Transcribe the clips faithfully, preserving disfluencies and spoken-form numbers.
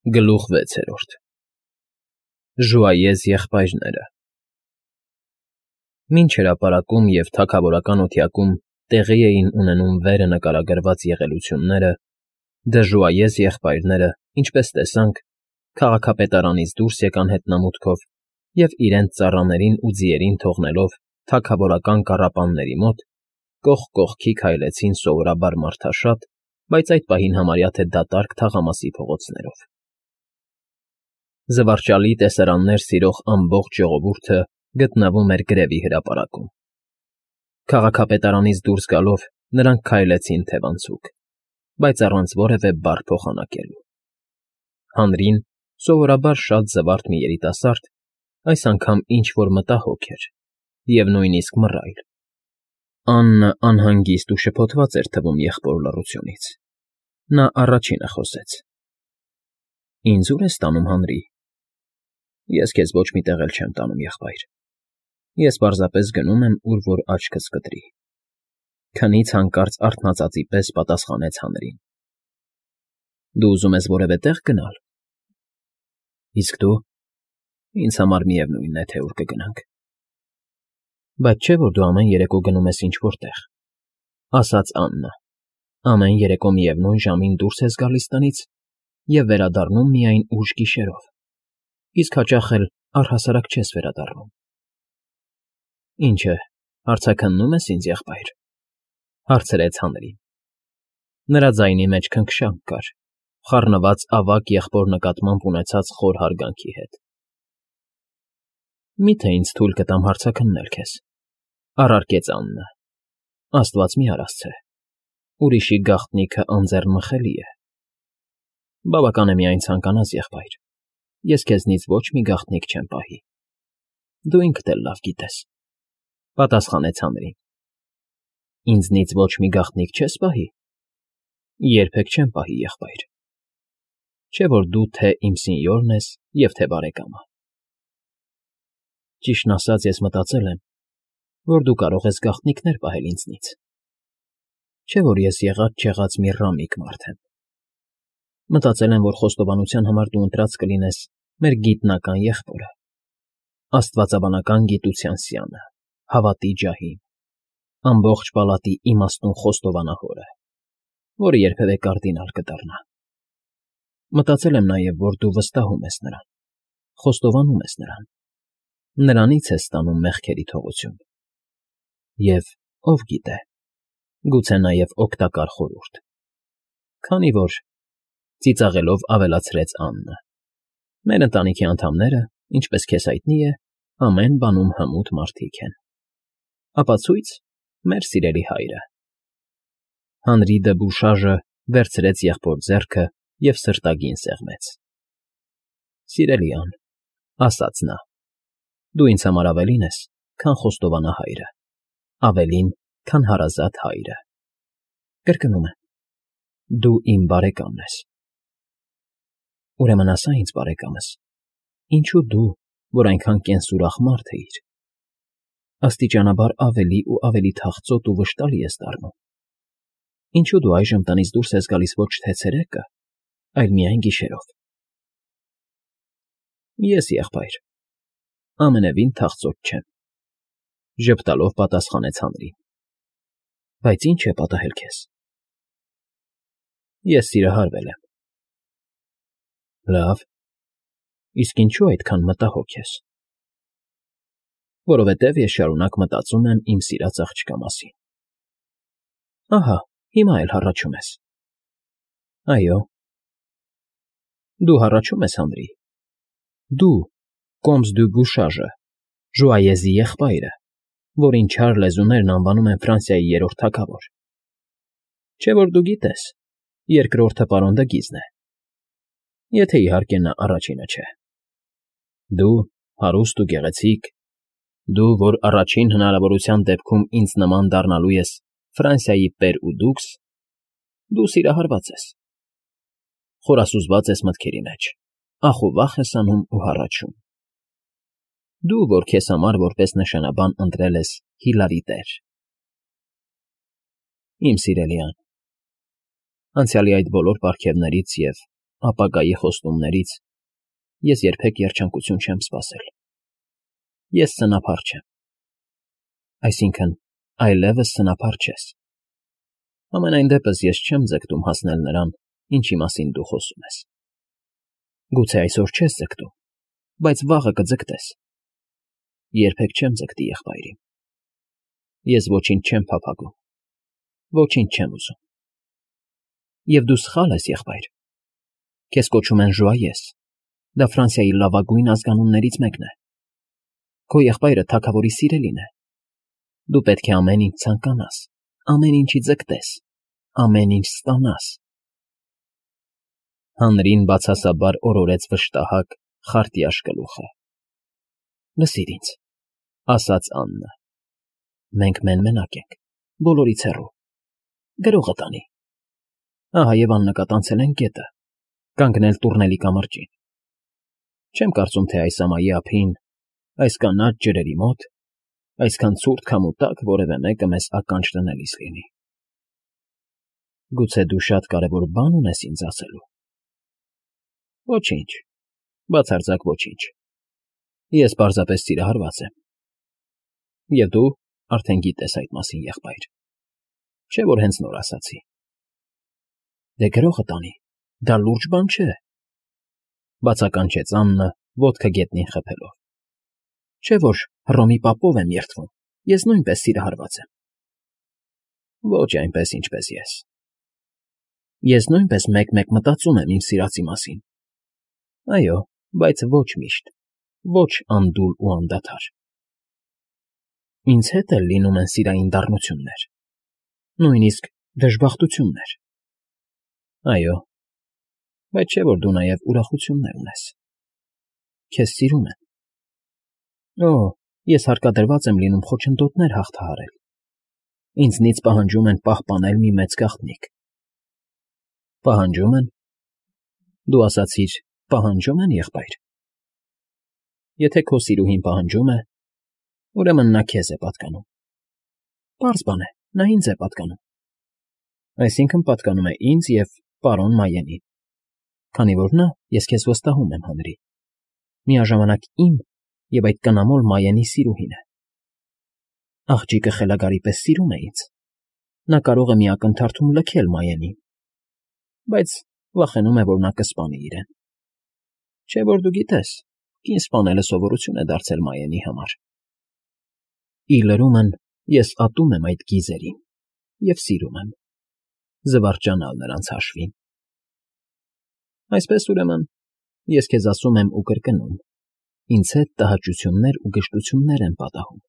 Գլուխ վեցերորդ Ժուայեզ եղբայրները Մինչ հրապարակում և թագավորական օդյակում տեղի էին ունենում վերը նկարագրված եղելությունները, դժուայез եղբայրները, ինչպես տեսանք, քաղաքապետարանից դուրս եկան հետնամուտքով և իրենց ծառաներին ու ձիերին թողնելով թագավորական կառապանների մոտ, կողք կողքի քայլեցին սովորաբար մարդաշատ, բայց այդ պահին համարյա թե դատարկ թաղամասի փողոցներով։ Զվարճալի տեսարաններ սիրող ամբողջ ժողովուրդը գտնվում էր գրևի հրապարակում։ Քաղաքապետարանից դուրս գալով նրանք քայլեցին թևանցուկ, բայց առանց որևէ բառ փոխանակելու։ Հանրին, սովորաբար շատ զվարթ մի երիտասարդ, այս անգամ ինչ֊որ մտահոգ էր և նույնիսկ մռայլ։ Աննը անհանգիստ ու շփոթված էր թվում եղբոր լռությունից։ Նա առաջինը խոսեց. ֊ Ինձ ո՞ւր ես տանում, Հանրի։ ֊ Ես քեզ ոչ մի տեղ էլ չեմ տանում, եղբայր, ես պարզապես գնում եմ, ուր որ աչքս կտրի,֊ քնից հանկարծ արթնածածի պես պատասխանեց Հանրին։ ֊ Դու ուզում ես որևէ տեղ գնալ։ ֊ Իսկ դու… Ինձ համար միևնույն է, թե ուր կգնանք։ ֊ Բայց չէ՞ որ դու ամեն երեկո գնում ես ինչ֊որ տեղ,֊ ասաց Աննը,֊ ամեն երեկո միևնույն ժամին դուրս ես գալիս տնից և վերադառնում միայն ուշ գիշերով, իսկ հաճախ էլ առհասարակ չես վերադառնում։ ֊ Ինչ է, հարցաքննո՞ւմ ես ինձ, եղբայր,֊ հարցրեց Հանրին։ Նրա ձայնի մեջ քնքշանք կար, խառնված ավագ եղբոր նկատմամբ ունեցած խոր հարգանքի հետ։ ֊ Մի՞թե ինձ թույլ կտամ հարցաքննել քեզ,֊ առարկեց Աննը,֊ աստված մի արասցե, ուրիշի գաղտնիքը անձեռնմխելի է։ ֊ Բավական է միայն ցանկանաս, եղբայր, ես քեզնից ոչ մի գաղտնիք չեմ պահի։ ֊ Դու ինքդ էլ լավ գիտես,֊ պատասխանեց Հանրին։ ֊ Ինձնից ոչ մի գաղտնիք չես պահի։ ֊ Երբեք չեմ պահի, եղբայր։ ֊ Չէ՞ որ դու թե՛ իմ սենյորն ես և թե՛ բարեկամը։ ֊ Ճիշտն ասած, ես մտածել եմ, որ դու կարող ես գաղտնիքներ պահել ինձնից։ Չէ՞ որ ես եղած֊չեղած մի ռամիկ մարդ եմ։ Մտածել եմ, որ խոստովանության համար դու ընտրած կլինես մեր գիտնական եղբորը, աստվածաբանական գիտության սյանը, հավատի ջահին, ամբողջ պալատի իմաստուն խոստովանահորը, որը երբևէ կարդինալ կդառնա։ Մտածել եմ նաև, որ դու վստահում ես նրան, խոստովանում ես նրան, նրանից ես ստանում մեղքերի թողություն։ Եվ, ով գիտե, գուցե նաև օգտակար խորհուրդ։ Քանի որ, ծիծաղելով ավելացրեց Աննը, մեր ընտանիքի անդամները, ինչպես քեզ հայտնի է, ամեն բանում հմուտ մարդիկ են։ Ապացույց՝ մեր սիրելի հայրը։ Հանրի դբուշաժը վերցրեց եղբոր ձեռքը և սրտագին սեղմեց։ ֊ Սիրելի Ան,֊ ասաց նա,֊ դու ինձ համար ավելին ես, քան խոստովանահայրը, ավելին, քան հարազատ հայրը։ Կրկնում եմ, դու իմ բարեկամն ես։ ֊ Ուրեմն ասա ինձ, բարեկամս, ինչո՞ւ դու, որ այնքան կենսուրախ մարդ էիր, աստիճանաբար ավելի ու ավելի թախծոտ ու վշտալի ես դառնում։ Ինչո՞ւ դու այժմ տնից դուրս ես գալիս ոչ թե ցերեկը, այլ միայն գիշերով։ ֊ Ես, եղբայր, ամենևին թախծոտ չեմ,֊ ժպտալով պատասխանեց Հանրին։ ֊ Բայց ի՞նչ է պատահել քեզ։ ֊ Ես սիրահարվել եմ։ ֊ Լավ, իսկ ինչո՞ւ այդքան մտահոգ ես։ ֊ Որովհետև ես շարունակ մտածում եմ իմ սիրած աղջկա մասին։ ֊ Ահա, հիմա էլ հառաչում ես։ ֊ Այո։ ֊ Դու հառաչում ես, Հանրի։ Դու, Կոմս դու Բուշաժը, Ժուայեզի եղբայրը, որին չար լեզուներն անվանում են Ֆրանսիայի երրորդ թագավոր։ Չէ՞ որ դու գիտես, երկրորդը պարոն Դգիզն է, եթե, իհարկե, նա առաջինը չէ։ Դու, հարուստ ու գեղեցիկ, դու, որ առաջին հնարավորության դեպքում ինձ նման դառնալու ես Ֆրանսիայի պեր ու դուքս, դու սիրահարված ես։ Խորասուզված ես մտքերի մեջ, ախ ու վախ ես անում ու հառաչում։ Դու, որ քեզ համար որպես նշանաբան ընտրել ես Հիլարի տեր։ Իմ սիրելի Ան, անցյալի այդ բոլոր պարգևներից և ապագայի խոստումներից ես երբեք երջանկություն չեմ սպասել։ Ես սնափառ չեմ։ Այսինքն, այլևս սնափառ չես։ Համենայն դեպս ես չեմ ձգտում հասնել նրան, ինչի մասին դու խոսում ես։ Գուցե այսօր չես ձգտում, բայց վաղը կձգտես։ Երբեք չեմ ձգտի եղբայրիմ։ Ես ոչինչ չեմ փափագում, ոչինչ չեմ ուզում։ Եվ դու սխալ ես, եղբայր։ Քեզ կոչում են Ժուայես, դա Ֆրանսիայի լավագույն ազգանուններից մեկն է։ Քո եղբայրը թագավորի սիրելին է։ Դու պետք է ամեն ինչ ցանկանաս, ամեն ինչի ձգտես, ամեն ինչ ստանաս։ Հանրին բացասաբար օրորեց վշտահակ, խարտյաշ գլուխը։ Լսիր ինձ, ասաց Աննը։ Մենք մեն֊մենակ ենք, բոլորից հեռու։ Գրողը տանի։ Ահա և աննկատանցել են գետը, կանգնել տուռնելի կամրջին։ Չեմ կարծում, թե այս ամայի ափին, այս կանաչ ջրերի մոտ, այսքան ցուրտ քամու տակ որևէ մեկը մեզ ականջ դնելիս լինի։ Գուցե դու շատ կարևոր բան ունես ինձ ասելու։ Ոչինչ, բացարձակ ոչինչ։ Ես պարզապես սիրահարված եմ։ Եվ դու արդեն գիտես այդ մասին, եղբայր։ Չէ՞ որ հենց նոր ասացի։ Դե գրողը տանի, դա լուրջ բան չէ, բացականչեց Աննը, ոտքը գետնին խփելով։ Չէ՞ որ Հռոմի պապով եմ երդվում, ես նույնպես սիրահարված եմ։ Ոչ այնպես, ինչպես ես։ Ես նույնպես մեկ֊մեկ մտածում եմ իմ սիրածի մասին։ Այո, բայց ոչ միշտ, ոչ անդուլ ու անդադար։ Ինձ հետ էլ լինում են սիրային դառնություններ, նույնիսկ դժբախտություններ։ Այո, բայց չէ՞ որ դու նաև ուրախություններ ունես։ Քեզ սիրում են։ Օ, ես հարկադրված եմ լինում խոչընդոտներ հաղթահարել։ Ինձնից պահանջում են պահպանել մի մեծ գաղտնիք։ Պահանջում են։ Դու ասացիր, պահանջում են, եղբայր։ Եթե քո սիրուհին պահանջում է, ուրեմն նա քեզ է պատկանում։ Պարզ բան է, նա ինձ է պատկանում։ Այսինքն պատկանում է ինձ և պարոն Մայենին, քանի որ նա, ես քեզ վստահում եմ, Հանրի, միաժամանակ իմ և այդ կնամոլ Մայենի սիրուհին է։ Աղջիկը խելագարի պես սիրում է ինձ։ Նա կարող է մի ակնթարթում լքել Մայենին, բայց վախենում է, որ նա կսպանի իրեն։ Չէ՞ որ դու գիտես, կին սպանելը սովորություն է դարձել Մայենի համար։ Ի լրումն ես ատում եմ այդ գիզերին և սիրում եմ, զվարճանալ նրանց հաշվին։ Այսպես, ուրեմն, ես քեզ ասում եմ ու կրկնում, ինձ հետ տհաճություններ ու գժտություններ են պատահում,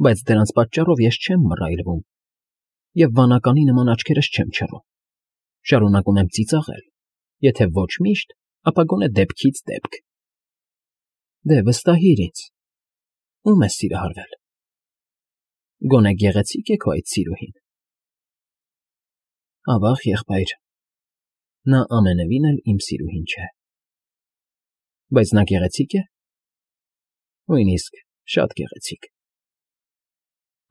բայց դրանց պատճառով ես չեմ մռայլվում և վանականի նման աչքերս չեմ չռում, շարունակում եմ ծիծաղել, եթե ոչ միշտ, ապա գոնե դեպքից դեպք։ Դե վստահիր ինձ, ո՞ւմ ես սիրահարվել։ Գոնե գեղեցի՞կ է քո այդ սիրուհին։ Ավա՜ղ, եղբայր, նա ամենևին էլ իմ սիրուհին չէ։ Բայց նա գեղեցի՞կ է։ Նույնիսկ շատ գեղեցիկ։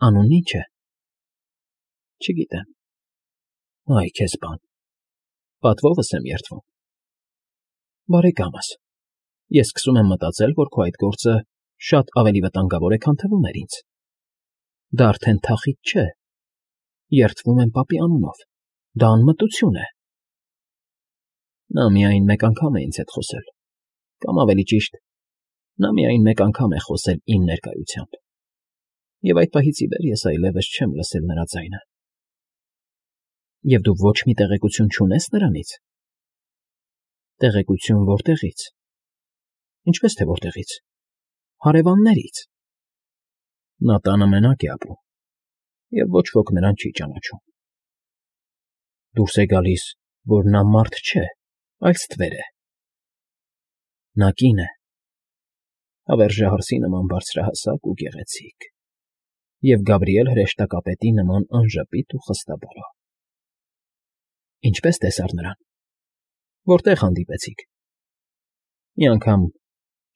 Անունն ի՞նչ է։ Չգիտեմ։ Այ քեզ բան։ Պատվովս եմ երդվում։ Բարեկամս, ես սկսում եմ մտածել, որ քո այդ գործը շատ ավելի վտանգավոր է, քան թվում էր ինձ։ Դա արդեն թախիծ չէ։ Երդվում եմ պապի անունով։ Դա անմտություն է։ Նա միայն մեկ անգամ է ինձ հետ խոսել, կամ ավելի ճիշտ, նա միայն մեկ անգամ է խոսել իմ ներկայությամբ, և այդ պահից ի վեր ես այլևս չեմ լսել նրա ձայնը։ Եվ դու ոչ մի տեղեկություն չունես նրանից։ Տեղեկություն որտեղից։ Ինչպես թե որտեղից։ Հարևաններից։ Նա տանը մենակ է ապրում, և ոչ ոք նրան չի ճանաչում։ Դուրս է գալիս, որ նա մարդ չէ, այլ ստվեր է։ Նա կին է, հավերժահարսի նման բարձրահասակ ու գեղեցիկ, և Գաբրիել հրեշտակապետի նման անժպիտ ու խստաբարո։ Ինչպե՞ս տեսար նրան։ Որտե՞ղ հանդիպեցիք։ Մի անգամ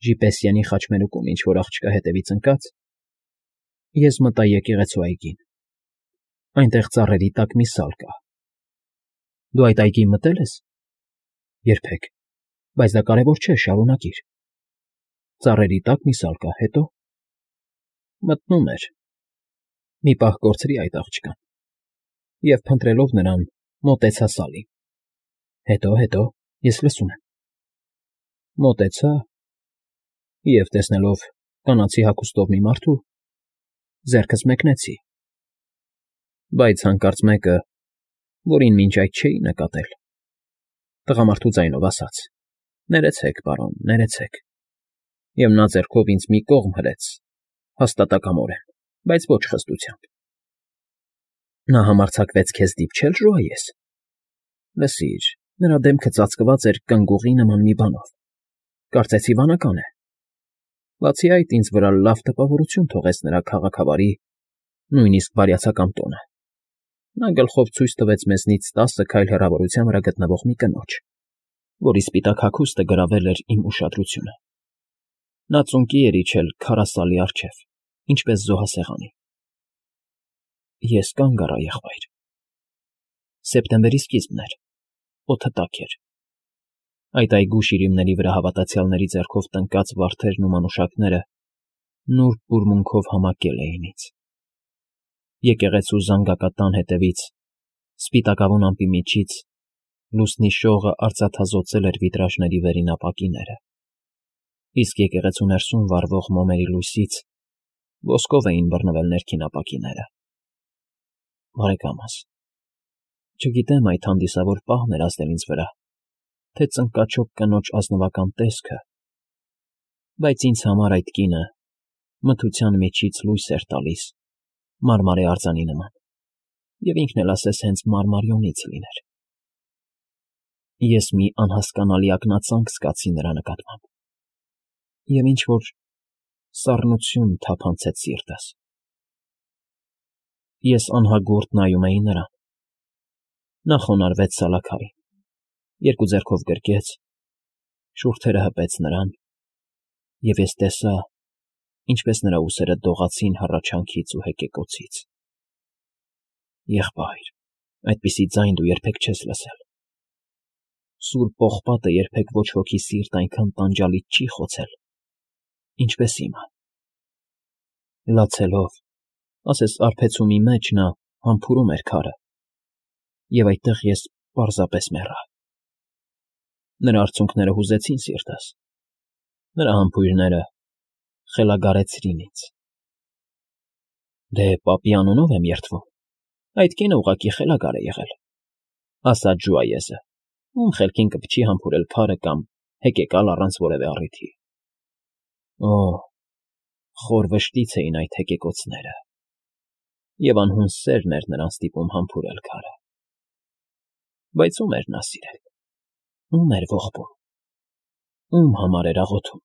Ժիպեսյանի խաչմերուկում ինչ֊որ աղջկա հետևից ընկած, ես մտա եկեղեցու այգին։ Այնտեղ ծառերի տակ մի սալ կա։ Դու այդ այգի մտե՞լ ես։ Երբեք, բայց դա կարևոր չէ, շարունակիր։ Ծառերի տակ մի սալկա, հետո… Մտնում էր։ Մի պահ կորցրի այդ աղջկան և, փնտրելով նրան, մոտեցա Սալին։ Հետո, հետո, ես լսում եմ… Մոտեցա և, տեսնելով կանացի հագուստով մի մարդու, ձեռքս մեկնեցի, բայց հանկարծ մեկը, որին մինչ այդ չէի նկատել, տղամարդու ձայնով ասաց. «Ներեցեք, պարոն, ներեցեք», և նա ձեռքով ինձ մի կողմ հրեց, հաստատակամորեն, բայց ոչ խստությամբ։ Նա համարձակվեց քեզ դիպչել, Ժուայես… Լսիր, նրա դեմքը ծածկված էր կնգուղի նման մի բանով, կարծեցի վանական է։ Բացի այդ, ինձ վրա լավ տպավորություն թողեց նրա քաղաքավարի, նույնիսկ բարյացակամ տոնը։ Նա գլխով ցույց տվեց մեզնից տասը քայլ հեռավորության վրա գտնվող մի կնոջ, որի սպիտակ հագուստը գրավել էր իմ ուշադրությունը։ Նա ծունկի էր իջել քարասալի առջև, ինչպես զոհասեղանի։ Ես կանգ առա, եղբայր… Սեպտեմբերի սկիզբն էր, օդը տաք էր։ Այդ այգու շիրիմների վրա հավատացյալների ձեռքով տնկած վարդերն ու մանուշակները նուրբ բուրմունքով համակել էին ինձ։ Եկեղեցու զանգակատան հետևից, սպիտակավուն ամպի միջից, լուսնի շողը արծաթազօծել էր վիտրաժների վերին ապակիները, իսկ եկեղեցու ներսում վառվող մոմերի լույսից ոսկով էին բռնվել ներքին ապակիները։ Բարեկամս, չգիտեմ այդ հանդիսավոր պահն էր ազդել ինձ վրա, թե ծնկաչոք կնոջ ազնվական տեսքը, բայց ինձ համար այդ կինը մթության միջից լույս էր տալիս մարմարե արձանի նման, և ինքն էլ ասես հենց մարմարիոնից լիներ։ Ես մի անհասկանալի ակնածանք զգացի նրա նկատմամբ, և ինչ֊որ սառնություն թափանցեց սիրտս։ Ես անհագուրդ նայում էի նրան։ Նա խոնարհվեց սալաքարին, երկու ձեռքով գրկեց, շուրթերը հպեց նրան, և ես տեսա, ինչպես նրա ուսերը դողացին հառաչանքից ու հեկեկոցից։ Եղբայր, այդպիսի ձայն դու երբեք չես լսել։ Սուրբ պողպատը երբեք ոչ ոքի սիրտ այնքան տանջալից չի խոցել, ինչպես իմը։ Լացելով, ասես արբեցումի մեջ նա համբուրում էր քարը, և այդտեղ ես պարզապես մեռա։ Նրա արցունքները հուզեցին սիրտս, նրա համբույրները խելագարեցրին ինձ։ Դե, պապի անունով եմ երդվում, այդ կինը ուղղակի խելագար է եղել, ասաց Ժուայեսը, ում խելքին կփչի համբուրել քարը կամ հեկեկալ առանց որևէ առիթի։ Օ՜, խոր վշտից էին այդ հեկեկոցները, և անհուն սերն էր նրան ստիպում համբուրել քարը։ Բայց ո՞ւմ էր նա սիրել, ո՞ւմ էր ողբում, ո՞ւմ համար էր աղոթում։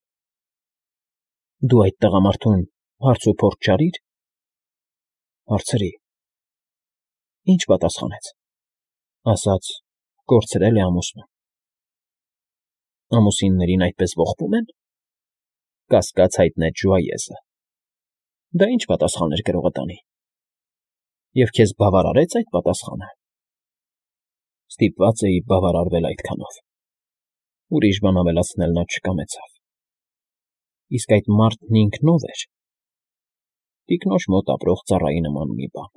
Դու այդ տղամարդուն հարց ու փորձ չարիր։ Հարցրի։ Ինչ պատասխանեց։ Ասաց. կորցրել է ամուսնուն։ Ամուսիններին այդպես ողբում են, կասկած հայտնեց Ժուայեսը։ Դա ինչ պատասխան էր գրողը տանի։ Եվ քեզ բավարարե՞ց այդ պատասխանը։ Ստիպված էի բավարարվել այդքանով։ Ուրիշ բան ավելացնել նա չկամեցավ։ Իսկ այդ մարդն ինքն ո՞վ էր։ Տիկնոջ մոտ ապրող ծառայի նման մի բան։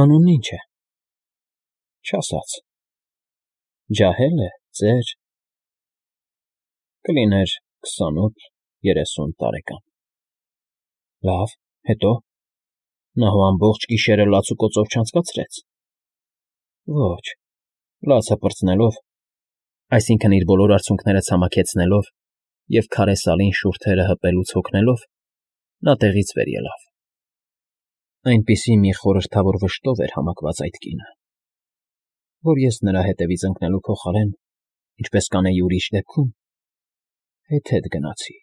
Անունն ի՞նչ է։ Չասաց։ Ջահե՞լ է, ծեր։ Կլիներ քսանութ երեսուն տարեկան։ Լավ, հետո։ Նա հո ամբողջ գիշերը լաց ու կոծով չանցկացրեց։ Ոչ, լացը պրծնելով, այսինքն՝ իր բոլոր արցունքները ցամաքեցնելով և քարե սալին շուրթերը հպելուց հոգնելով, նա տեղից վեր ելավ։ Այնպիսի մի խորհրդավոր վշտով էր համակված այդ կինը, որ ես նրա հետևից ընկնելու փոխարեն, ինչպես կանեի ուրիշ դեպքում, հետհետ գնացի։